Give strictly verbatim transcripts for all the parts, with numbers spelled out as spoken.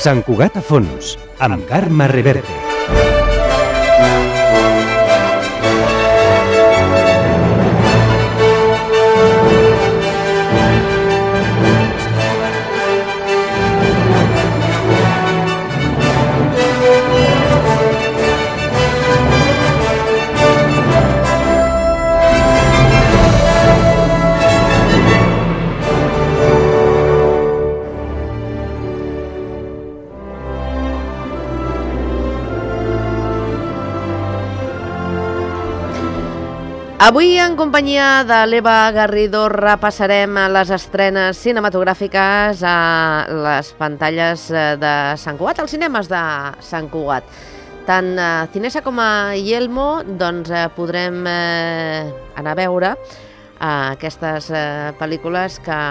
Sant Cugat a fons, amb Carme Reverte. Avui, en companyia de l'Eva Garrido, repassarem les estrenes cinematogràfiques a les pantalles de Sant Cugat, als cinemes de Sant Cugat. Tant a Cinesa com a Yelmo doncs, eh, podrem eh, anar a veure eh, aquestes eh, pel·lícules que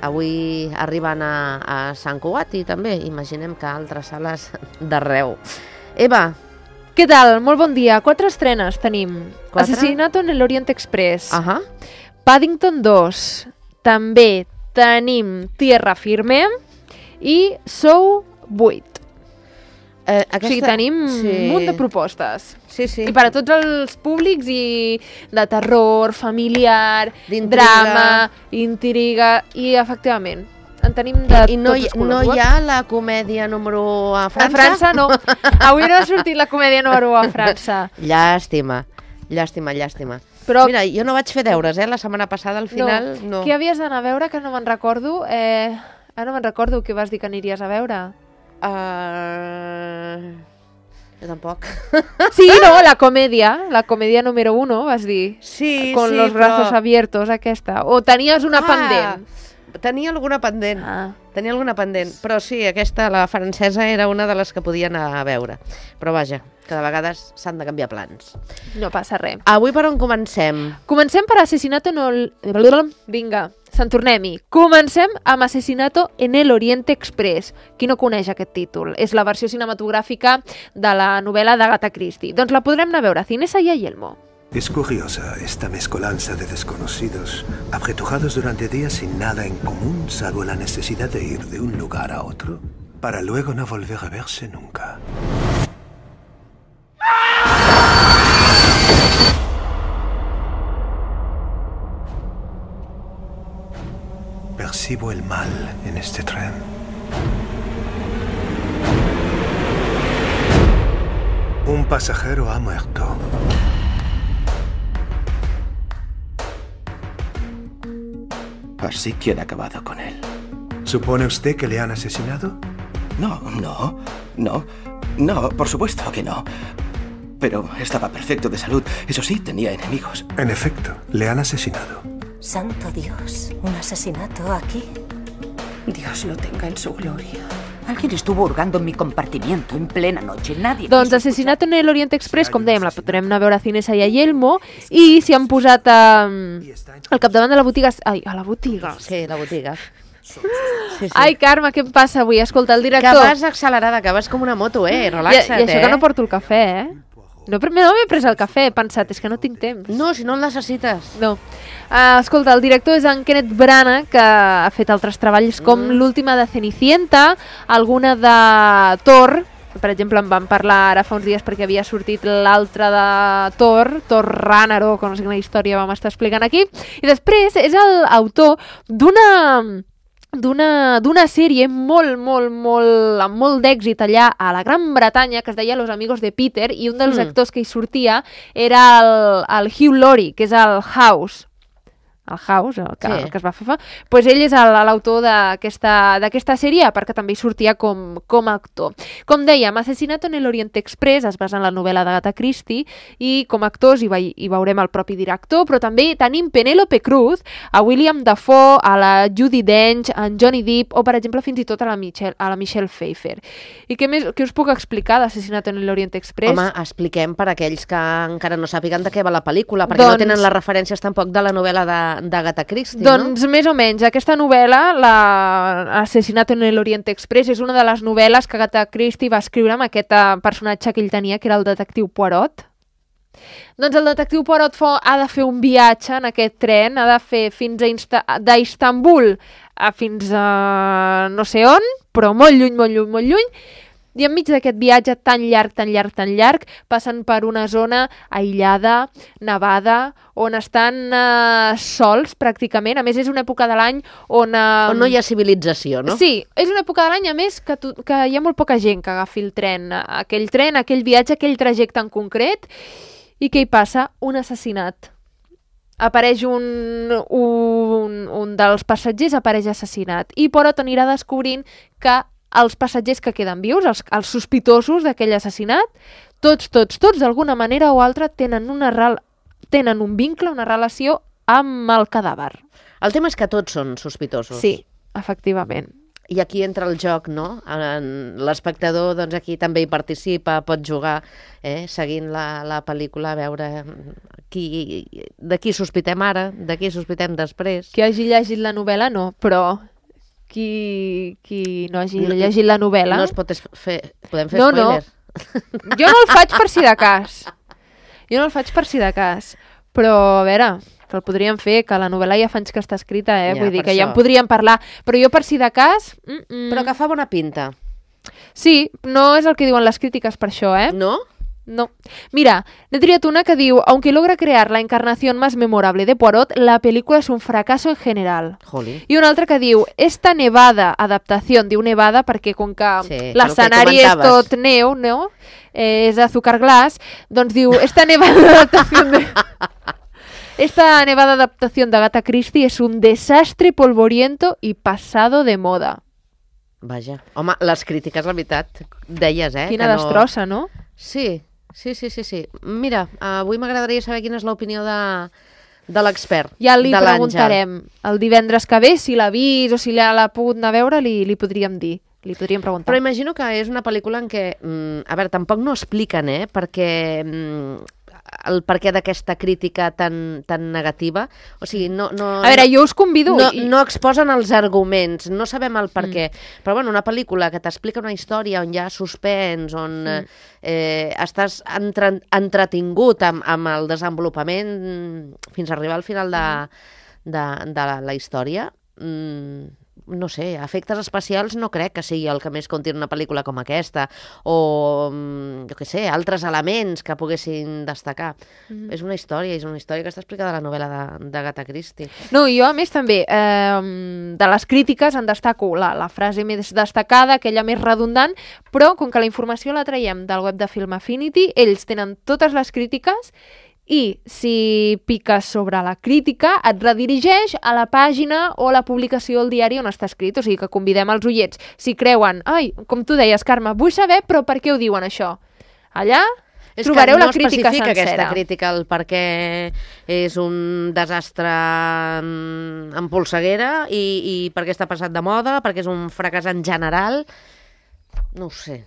avui arriben a, a Sant Cugat i també imaginem que altres sales d'arreu. Eva, què tal? Molt bon dia. Quatre estrenes tenim. Quatre? Asesinato en el Orient Express. uh -huh. Paddington dos. També tenim Tierra Firme i Sou vuit. Eh, aquesta... O sigui, tenim sí. un munt de propostes. Sí, sí. I per a tots els públics, i de terror, familiar, D'intriga. drama, intriga, i efectivament en tenim de I no, tots els colors. no hi ha la comèdia número un a França? A França no. Avui no ha sortit la comèdia número un a França. Llàstima, llàstima, llàstima. Però... Mira, jo no vaig fer deures, eh? La setmana passada, al final, no. no. Què havies d'anar a veure, que no me'n recordo? Eh... Ah, no me'n recordo què vas dir que aniries a veure. Uh... Jo tampoc. Sí, no, la comèdia, la comèdia número uno, vas dir. Sí, Con sí, los brazos però... abiertos, aquesta. O tenies una ah, pendent. Tenia alguna pendent. Ah. Tenia alguna pendent. Però sí, aquesta, la francesa, era una de les que podia anar a veure. Però vaja, que de vegades s'han de canviar plans. No passa res. Avui per on comencem? Comencem per Asesinato en el... Vinga, se'n tornem-hi. Comencem amb Asesinato en el Orient Express. Qui no coneix aquest títol? És la versió cinematogràfica de la novel·la d'Agatha Christie. Doncs la podrem anar a veure a Cinesa y a Yelmo. Es curiosa esta mezcolanza de desconocidos, apretujados durante días sin nada en común, salvo la necesidad de ir de un lugar a otro, para luego no volver a verse nunca. Percibo el mal en este tren. Un pasajero ha muerto. Así que han acabado con él. ¿Supone usted que le han asesinado? No, no, no, no, por supuesto que no. Pero estaba perfecto de salud. Eso sí, tenía enemigos. En efecto, le han asesinado. Santo Dios, ¿un asesinato aquí? Dios lo tenga en su gloria. Alguien estuvo hurgando en mi compartimiento en plena noche. Nadie... Doncs Asesinato en el Orient Express, com dèiem, la podrem anar a veure a Cinesa i a Yelmo, i s'hi han posat a, al capdavant de la botiga... Ai, a la botiga. Sí, la botiga. Sí, sí. Ai, Carme, què em passa avui? Escolta, el director... Que vas accelerada, que vas com una moto, eh? Relaxa't, I, i això eh? que no porto el cafè, eh? No, no m'he pres el cafè, he pensat, és que no tinc temps. No, si no el necessites. No. Uh, escolta, el director és en Kenneth Branagh, que ha fet altres treballs com mm. l'última de Cenicienta, alguna de Thor, per exemple, en vam parlar ara fa uns dies perquè havia sortit l'altra de Thor, Thor Ragnarok, no sé quina història vam estar explicant aquí, i després és l'autor d'una... d'una d'una sèrie molt, molt, molt, amb molt d'èxit allà a la Gran Bretanya, que es deia Los Amigos de Peter, i un dels mm. actors que hi sortia era el, el Hugh Laurie, que és el House. El House, el que, sí. el que es va fer fa. Pues ell és l'autor d'aquesta sèrie, perquè també hi sortia com, com a actor. Com dèiem, Asesinato en el Orient Express es basa en la novel·la d'Agatha Christie, i com a actors hi, ve, hi veurem el propi director, però també tenim Penélope Cruz, a William Dafoe, a la Judi Dench, a en Johnny Depp, o per exemple fins i tot a la Michelle, a la Michelle Pfeiffer. I què més què us puc explicar d'Asesinato en el Orient Express? Home, expliquem per aquells que encara no sàpiguen de què va la pel·lícula, perquè doncs... no tenen les referències tampoc de la novel·la de d'Agatha Christie, doncs, no? més o menys. Aquesta novel·la, la Asesinato en el Orient Express, és una de les novel·les que Agatha Christie va escriure amb aquest personatge que ell tenia, que era el detectiu Poirot. Doncs el detectiu Poirot ha de fer un viatge en aquest tren, ha de fer fins a d'Istanbul a fins a no sé on, però molt lluny, molt lluny, molt lluny, i enmig d'aquest viatge tan llarg, tan llarg, tan llarg, passen per una zona aïllada, nevada, on estan uh, sols, pràcticament. A més, és una època de l'any on... Uh, on no hi ha civilització, no? Sí, és una època de l'any, a més, que, tu, que hi ha molt poca gent que agafi el tren. Aquell tren, aquell viatge, aquell trajecte en concret. I què hi passa? Un assassinat. Apareix un, un, un dels passatgers, apareix assassinat. I Poirot anirà descobrint que els passatgers que queden vius, els, els sospitosos d'aquell assassinat, tots, tots, tots, d'alguna manera o altra, tenen, una rel... tenen un vincle, una relació amb el cadàver. El tema és que tots són sospitosos. Sí, efectivament. I aquí entra el joc, no? L'espectador, doncs, aquí també hi participa, pot jugar, eh? Seguint la, la pel·lícula, a veure qui, de qui sospitem ara, de qui sospitem després. Qui hagi llegit la novel·la, no, però... Qui, qui no hagi no, llegit la novel·la... No es pot fer... Podem fer no, spoiler? No. Jo no el faig per si de cas. Jo no el faig per si de cas. Però, a veure, que el podríem fer, que la novel·la ja fa anys que està escrita, eh? Ja, Vull dir que això. ja en podríem parlar. Però jo per si de cas... Mm -mm. Però que fa bona pinta. Sí, no és el que diuen les crítiques per això, eh? No? No. Mira, n'he triat una que diu: aunque logra crear la encarnación más memorable de Poirot, la película es un fracaso en general. Joli. I una altra que diu: esta nevada adaptación, diu nevada perquè com que sí, l'escenari és tot neu, no? Eh, és azúcar glass, doncs diu: esta nevada adaptación de... esta nevada adaptación de Agatha Christie es un desastre polvoriento y pasado de moda. Vaja. Home, les crítiques, la veritat, deies, eh? Quina que no... destrossa, no? Sí, sí, sí, sí, sí. Mira, avui m'agradaria saber quina és l'opinió de, de l'expert. Ja li de preguntarem el divendres que ve, si l'ha vist o si l'ha pogut anar a veure, li, li podríem dir. Li podríem preguntar. Però imagino que és una pel·lícula en què, mm, a veure, tampoc no expliquen, eh, perquè mm, el perquè d'aquesta crítica tan, tan negativa. O sigui, no... no a veure, jo us convido... No, i... no exposen els arguments, no sabem el per Mm. què. Però, bueno, una pel·lícula que t'explica una història on hi ha suspens, on Mm. eh, estàs entre, entretingut amb, amb el desenvolupament fins a arribar al final de, de, de la, la història, mm, no sé, efectes especials no crec que sigui el que més conti una pel·lícula com aquesta, o, jo què sé, altres elements que poguessin destacar. Mm. És una història, és una història que està explicada a la novel·la d'Agatha Christie. No, i jo, a més, també, eh, de les crítiques en destaco la, la frase més destacada, aquella més redundant, però com que la informació la traiem del web de Film Affinity, ells tenen totes les crítiques i si piques sobre la crítica et redirigeix a la pàgina o a la publicació al diari on està escrit. O sigui que convidem els ullets. Si creuen, ai, com tu deies, Carme, vull saber, però per què ho diuen això? Allà és trobareu no la crítica sencera. Aquesta crítica el per què és un desastre en polseguera i, i per què està passat de moda, perquè és un fracàs en general. No ho sé.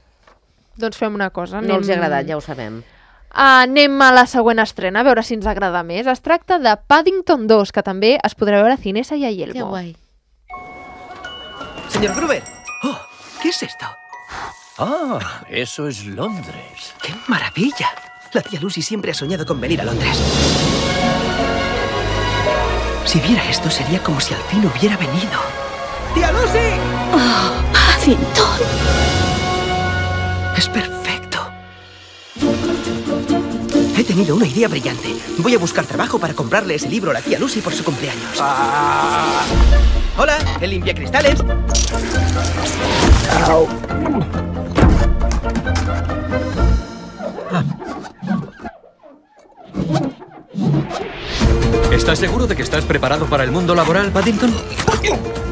Doncs fem una cosa. No els ha agradat, ja ho sabem. Anem a la següent estrena, a veure si ens agrada més. Es tracta de Paddington dos, que també es podrà veure a Cinesa y a Yelmo. Qué guay. Señor Gruber. Oh, ¿qué es esto? Ah, eso es Londres. ¡Qué maravilla! La tía Lucy siempre ha soñado con venir a Londres. Si viera esto, sería como si al fin hubiera venido. ¡Tía Lucy! ¡Oh, Paddington! Es perfecto. He tenido una idea brillante. Voy a buscar trabajo para comprarle ese libro a la tía Lucy por su cumpleaños. Ah. Hola, el limpiacristales. Au. ¿Estás seguro de que estás preparado para el mundo laboral, Paddington?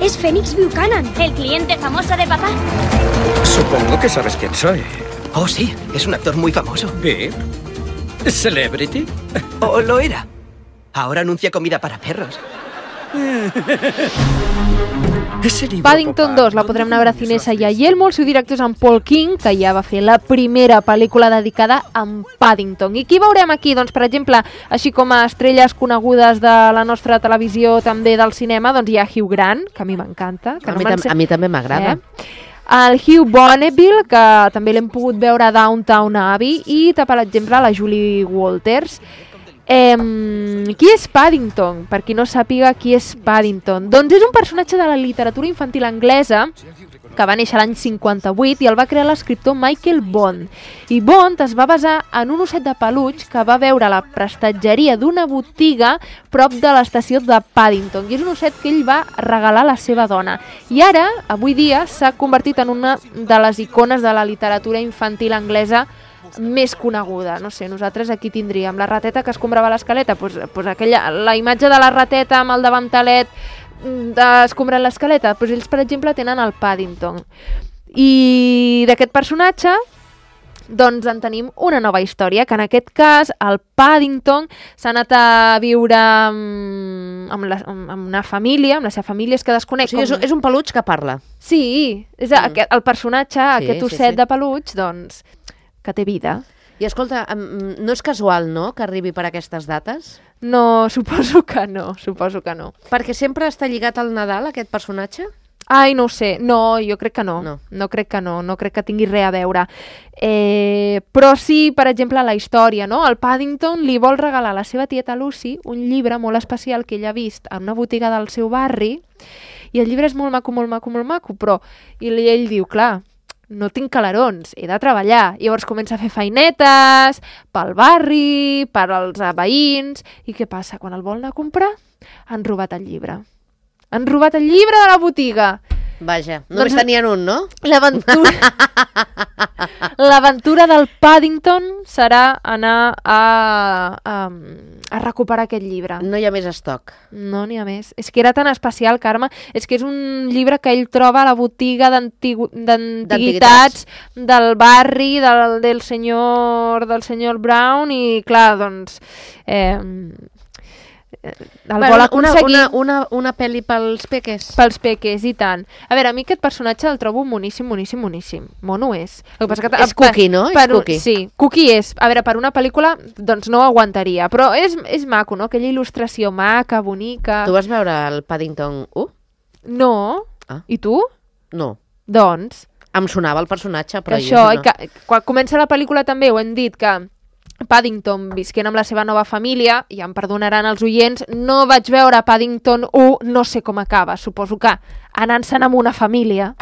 Es Phoenix Buchanan, el cliente famoso de papá. Supongo que sabes quién soy. Oh, sí, es un actor muy famoso. ¿Bien? ¿Celebrity? Oh, lo era. Ahora anuncia comida para perros. Paddington dos la podrem anar a veure a Cinesa i a Yelmo. El seu director és en Paul King, que ja va fer la primera pel·lícula dedicada a en Paddington. I qui veurem aquí? Doncs, per exemple, així com a estrelles conegudes de la nostra televisió, també del cinema, doncs hi ha Hugh Grant, que a mi m'encanta. A, mi tam a mi també m'agrada. Eh? El Hugh Bonneville, que també l'hem pogut veure a Downton Abbey, i, per exemple, la Julie Walters. Eh, qui és Paddington? Per qui no sàpiga qui és Paddington. Doncs és un personatge de la literatura infantil anglesa que va néixer l'any cinquanta-vuit, i el va crear l'escriptor Michael Bond. I Bond es va basar en un osset de peluix que va veure a la prestatgeria d'una botiga prop de l'estació de Paddington, i és un osset que ell va regalar a la seva dona. I ara, avui dia, s'ha convertit en una de les icones de la literatura infantil anglesa més coneguda. No sé, nosaltres aquí tindríem la rateta que escombrava l'escaleta, pues, pues aquella, la imatge de la rateta amb el davantalet escombrant l'escaleta, pues ells, per exemple, tenen el Paddington. I d'aquest personatge doncs en tenim una nova història, que en aquest cas el Paddington s'ha anat a viure amb, amb, la, amb una família, amb la seva família, és que desconec... O sigui, com... és un peluig que parla. Sí, és mm. aquest, el personatge, sí, aquest osset sí, sí. de peluig, doncs, que té vida. I escolta, no és casual, no?, que arribi per aquestes dates? No, suposo que no, suposo que no. Perquè sempre està lligat al Nadal, aquest personatge? Ai, no ho sé. No, jo crec que no. No, no crec que no. No crec que tingui res a veure. Eh, però sí, per exemple, la història, no? El Paddington li vol regalar a la seva tieta Lucy un llibre molt especial que ella ha vist en una botiga del seu barri, i el llibre és molt maco, molt maco, molt maco, però i ell diu, clar, no tinc calarons, he de treballar. Llavors comença a fer feinetes pel barri, per als veïns, i què passa? Quan el vol anar a comprar, han robat el llibre. Han robat el llibre de la botiga. Vaja, només doncs, tenien un, no? L'aventura l'aventura del Paddington serà anar a, a, a recuperar aquest llibre. No hi ha més estoc. No n'hi ha més. És que era tan especial, Carme. És que és un llibre que ell troba a la botiga d'antiguitats del barri, del, del, senyor, del senyor Brown, i clar, doncs... Eh, el bueno, vol aconseguir... Una, una, una, una pel·li pels peques. Pels peques, i tant. A veure, a mi aquest personatge el trobo moníssim, moníssim, moníssim. Mono és. El que passa que, és cookie, no? Per, és cookie. Sí, cookie és. A veure, per una pel·lícula, doncs no ho aguantaria. Però és, és maco, no? Aquella il·lustració maca, bonica... Tu vas veure el Paddington u? No. Ah. I tu? No. Doncs... Em sonava el personatge, però això, jo no. Que, quan comença la pel·lícula també ho hem dit, que Paddington visquent amb la seva nova família, i em perdonaran els oients, no vaig veure Paddington u, no sé com acaba, suposo que anant-se'n amb una família,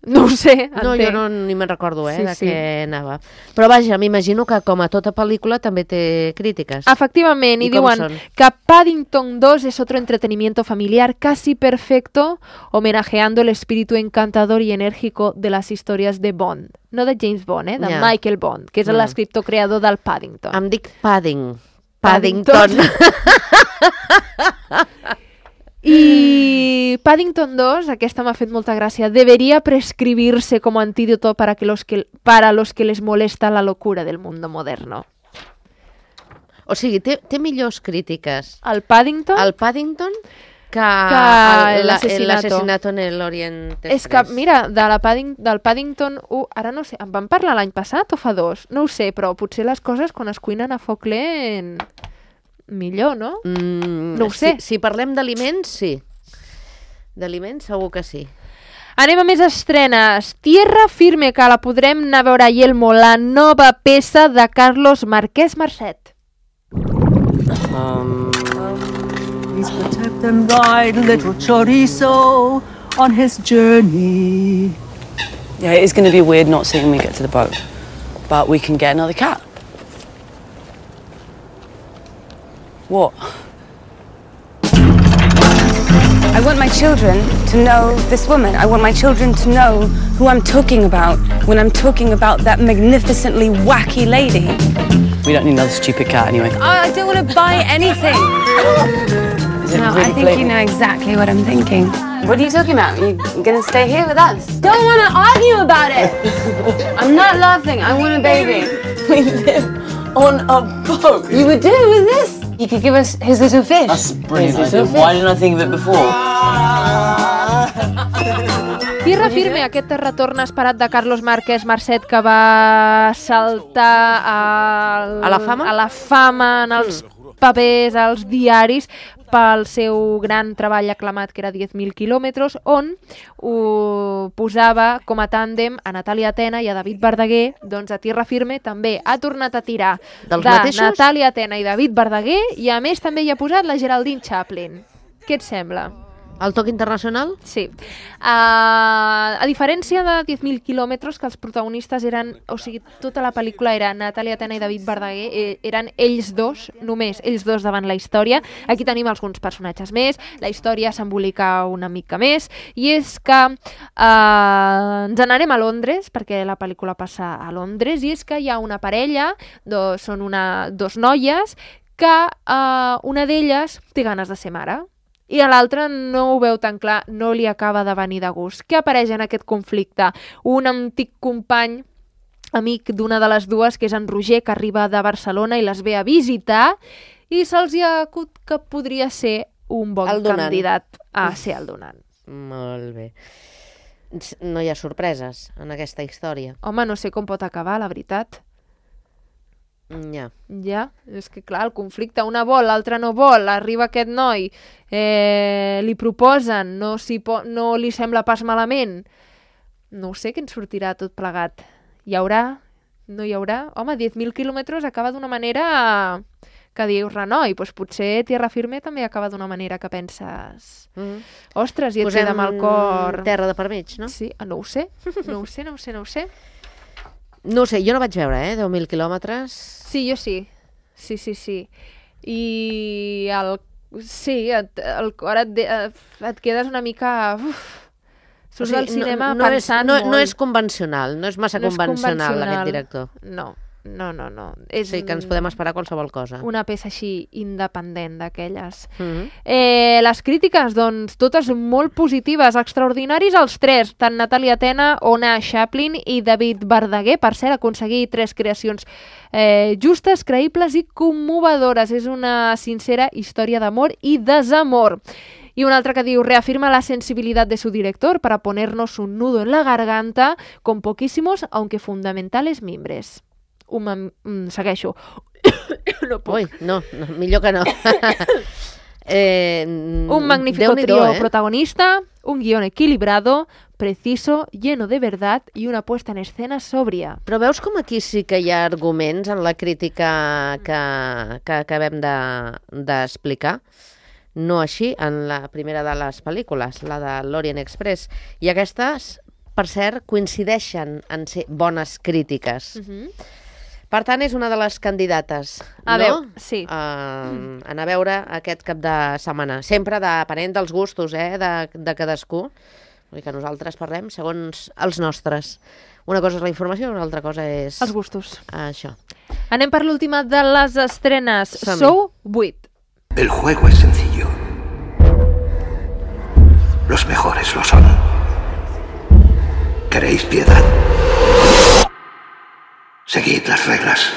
no ho sé, no, entenc. Jo no, ni me'n recordo, eh, sí, de sí. què anava. Però vaja, m'imagino que com a tota pel·lícula també té crítiques. Efectivament, i, I diuen són? que Paddington dos es otro entretenimiento familiar casi perfecto, homenajeando el espíritu encantador y enérgico de las historias de Bond. No de James Bond, eh? de yeah. Michael Bond, que és yeah. l'escriptor creador del Paddington. Em dic Padding. Paddington. Paddington. I Paddington dos, aquesta m'ha fet molta gràcia, debería prescribirse como antídoto para, que los que, para los que les molesta la locura del mundo moderno. O sigui, té, té millors crítiques. El Paddington? El Paddington que, que l'assassinato en l'Orient Express. És que, mira, de la Padding, del Paddington u, ara no sé, en vam parlar l'any passat o fa dos? No ho sé, però potser les coses quan es cuinen a foc lent... millor, no? Mm, no ho sé. Si, si parlem d'aliments, sí. D'aliments segur que sí. Anem a més estrenes. Tierra firme, que la podrem anar a veure a Yelmo, la nova peça de Carlos Marquès Marcet. Um... Please protect and guide little chorizo on his journey. Yeah, it is going to be weird not seeing me get to the boat. But we can get another cat. What? I want my children to know this woman. I want my children to know who I'm talking about when I'm talking about that magnificently wacky lady. We don't need another stupid cat anyway. Oh, I don't want to buy anything. Is it no, really I think blatant? you know exactly what I'm thinking. What are you talking about? Are you going to stay here with us? Don't want to argue about it. I'm not laughing. I want a baby. We live on a boat. You would do with this. He could give us his little fish. That's a brilliant idea. Why didn't I think of it before? Tierra firme, aquest retorn esperat de Carlos Marquès Marcet, que va saltar al... a la fama, a la fama en els papers, als diaris, pel seu gran treball aclamat, que era diez mil quilòmetres, on ho posava com a tàndem a Natàlia Atena i a David Verdaguer. Doncs a Tierra firme també ha tornat a tirar dels de mateixos? Natàlia Atena i David Verdaguer, i a més també hi ha posat la Geraldine Chaplin. Què et sembla? El toc internacional? Sí. Uh, a diferència de diez mil quilòmetres, que els protagonistes eren, o sigui, tota la pel·lícula era Natàlia Tena i David Verdaguer, eh, eren ells dos, només ells dos davant la història. Aquí tenim alguns personatges més, la història s'embolica una mica més, i és que uh, ens n'anem a Londres, perquè la pel·lícula passa a Londres, i és que hi ha una parella, do, són una, dos noies, que uh, una d'elles té ganes de ser mare, i a l'altra no ho veu tan clar, no li acaba de venir de gust. Què apareix en aquest conflicte? Un antic company, amic d'una de les dues, que és en Roger, que arriba de Barcelona i les ve a visitar, i se'ls ha acut que podria ser un bon candidat a ser el donant. Molt bé. No hi ha sorpreses en aquesta història. Home, no sé com pot acabar, la veritat. Ja. Ja, és que clar, el conflicte, una vol, l'altra no vol, arriba aquest noi, eh, li proposen, no, si po no li sembla pas malament. No ho sé, què ens sortirà tot plegat. Hi haurà? No hi haurà? Home, diez mil quilòmetres acaba d'una manera que dius, renoi, doncs potser Tierra Firme també acaba d'una manera que penses... Mm. Ostres, i et queda amb el cor... Terra de per mig, no? Sí, no ho sé, no ho sé, no ho sé, no ho sé. No ho sé, jo no vaig veure, eh, deu mil quilòmetres. Sí, jo sí. Sí, sí, sí. I el... Sí, et, el cor et, de, et quedes una mica... Uf, surts o sigui, del cinema no, no pensant és, no, molt. No és convencional, no és massa no convencional, és convencional aquest director. No, no, no. no. És sí, que ens podem esperar qualsevol cosa. Una peça així independent d'aquelles. Mm-hmm. eh, les crítiques, doncs, totes molt positives, extraordinaris els tres, tant Natàlia Tena, Ona Chaplin i David Verdaguer. Per cert, aconseguir tres creacions eh, justes, creïbles i commovedores. És una sincera història d'amor i desamor. Y una otra que diu, reafirma la sensibilidad de su director para ponernos un nudo en la garganta con poquísimos, aunque fundamentales mimbres. Un mm, segueixo. No puc. Ui, no, no, millor que no. eh, un magnífico trío eh? protagonista, un guión equilibrado, preciso, lleno de verdad y una puesta en escena sobria. Però veus com aquí sí que hi ha arguments en la crítica que, que acabem d'explicar? De, no així en la primera de les pel·lícules, la de l'Orient Express. I aquestes, per cert, coincideixen en ser bones crítiques. Uh-huh. Per tant, és una de les candidates, a no? Veu, sí. Uh, mm. Anar a veure aquest cap de setmana. Sempre depenent dels gustos eh, de, de cadascú. Vull dir que nosaltres parlem segons els nostres. Una cosa és la informació, una altra cosa és... Els gustos. Això. Anem per l'última de les estrenes. Sou vuit. El juego es sencillo. Los mejores lo son. ¿Queréis piedad? Seguid las reglas.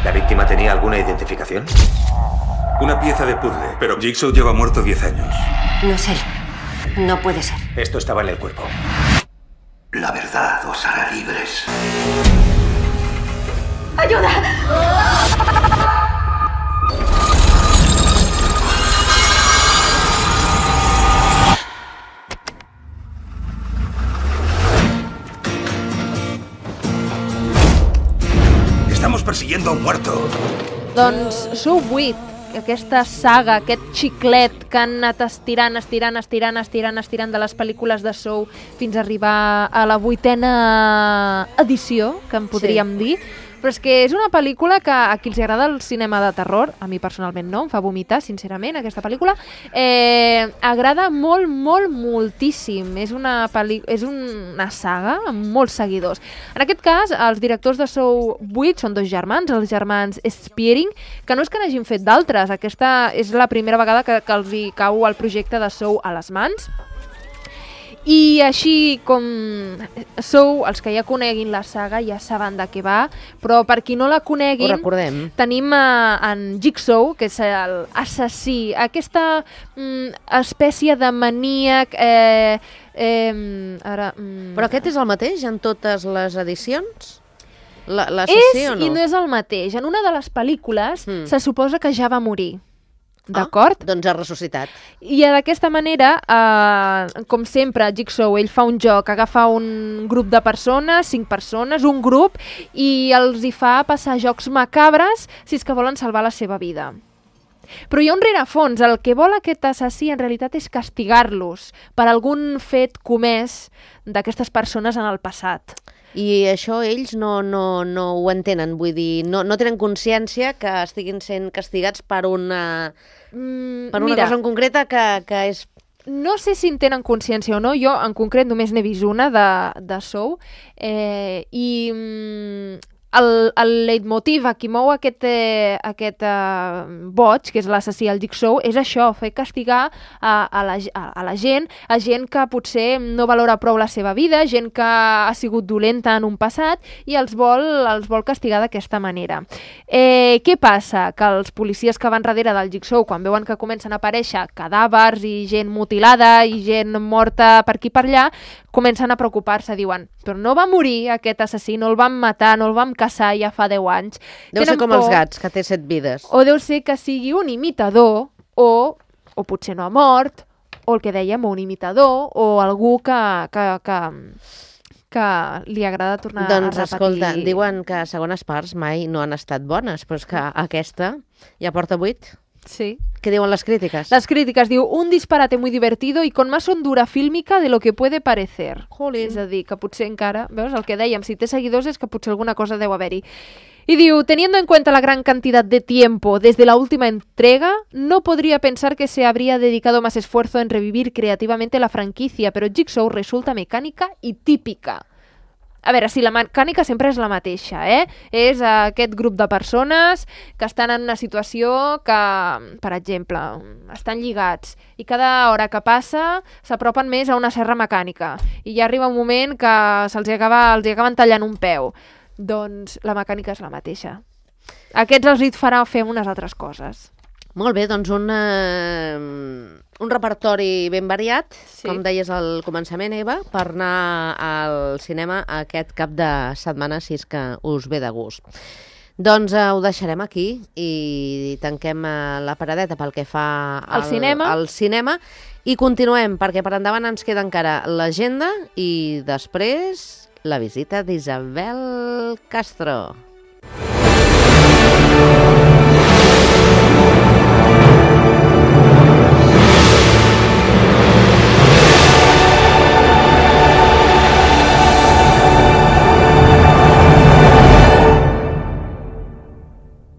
¿La víctima tenía alguna identificación? Una pieza de puzzle, pero Jigsaw lleva muerto diez años. No es él. No puede ser. Esto estaba en el cuerpo. La verdad os hará libres. ¡Ayuda! Estamos persiguiendo a un muerto. Doncs Sou vuit, aquesta saga, aquest xiclet que han anat estirant, estirant, estirant, estirant, estirant de les pel·lícules de Sou fins a arribar a la vuitena edició, que en podríem sí. dir. Però és que és una pel·lícula que a qui els agrada el cinema de terror, a mi personalment no, em fa vomitar, sincerament, aquesta pel·lícula, eh, agrada molt, molt, moltíssim. És una, és una saga amb molts seguidors. En aquest cas, els directors de Sou vuit són dos germans, els germans Spearing, que no és que n'hagin fet d'altres, aquesta és la primera vegada que, que els hi cau el projecte de Sou a les mans. I així com Sou, els que ja coneguin la saga ja saben de què va, però per qui no la coneguin, tenim uh, en Jigsaw, que és l'assassí, aquesta mm, espècie de maníac... Eh, eh, ara, mm... Però aquest és el mateix en totes les edicions? L'assassí o no? És i no és el mateix. En una de les pel·lícules mm. se suposa que ja va morir. D'acord? Ah, doncs ha ressuscitat. I d'aquesta manera, eh, com sempre, Jigsaw, ell fa un joc, agafa un grup de persones, cinc persones, un grup, i els hi fa passar jocs macabres si és que volen salvar la seva vida. Però hi ha un rerefons. El que vol aquest assassí en realitat és castigar-los per algun fet comès d'aquestes persones en el passat. I això ells no, no, no ho entenen, vull dir, no, no tenen consciència que estiguin sent castigats per una, mm, per una mira, cosa en concreta que, que és... No sé si en tenen consciència o no, jo en concret només n'he vist una de, de Saw, eh, i mm, el, el leitmotiv a qui mou aquest, eh, aquest eh, boig, que és l'assassí al Jigsaw, és això, fer castigar a, a, la, a, a la gent, a gent que potser no valora prou la seva vida, gent que ha sigut dolenta en un passat i els vol, els vol castigar d'aquesta manera. Eh, què passa? Que els policies que van darrere del Jigsaw, quan veuen que comencen a aparèixer cadàvers i gent mutilada i gent morta per aquí per allà, comencen a preocupar-se, diuen, però no va morir aquest assassí, no el van matar, no el vam caçar ja fa deu anys. Deu ser com els gats, que té set vides. O deu ser que sigui un imitador, o, o potser no ha mort, o el que dèiem, un imitador, o algú que, que, que, que li agrada tornar doncs, a repetir. Doncs escolta, diuen que segones parts mai no han estat bones, però és que aquesta ja porta vuit. Sí. ¿Qué diuen les crítiques? Las críticas, diu, un disparate muy divertido y con más hondura fílmica de lo que puede parecer. Jolín. És a dir, que potser encara, veus, el que dèiem, si té seguidors és que potser alguna cosa deu haver-hi. Y diu, teniendo en cuenta la gran cantidad de tiempo desde la última entrega, no podría pensar que se habría dedicado más esfuerzo en revivir creativamente la franquicia, pero Jigsaw resulta mecánica y típica. A veure, si la mecànica sempre és la mateixa, eh? És aquest grup de persones que estan en una situació que, per exemple, estan lligats i cada hora que passa s'apropen més a una serra mecànica i ja arriba un moment que se'ls acaba, els acaben tallant un peu. Doncs la mecànica és la mateixa. Aquests els hi farà fer unes altres coses. Molt bé, doncs un, eh, un repertori ben variat, sí. Com deies al començament, Eva, per anar al cinema aquest cap de setmana, si és que us ve de gust. Doncs eh, ho deixarem aquí i tanquem eh, la paradeta pel que fa al, al, cinema. al cinema i continuem, perquè per endavant ens queda encara l'agenda i després la visita d'Isabel Castro.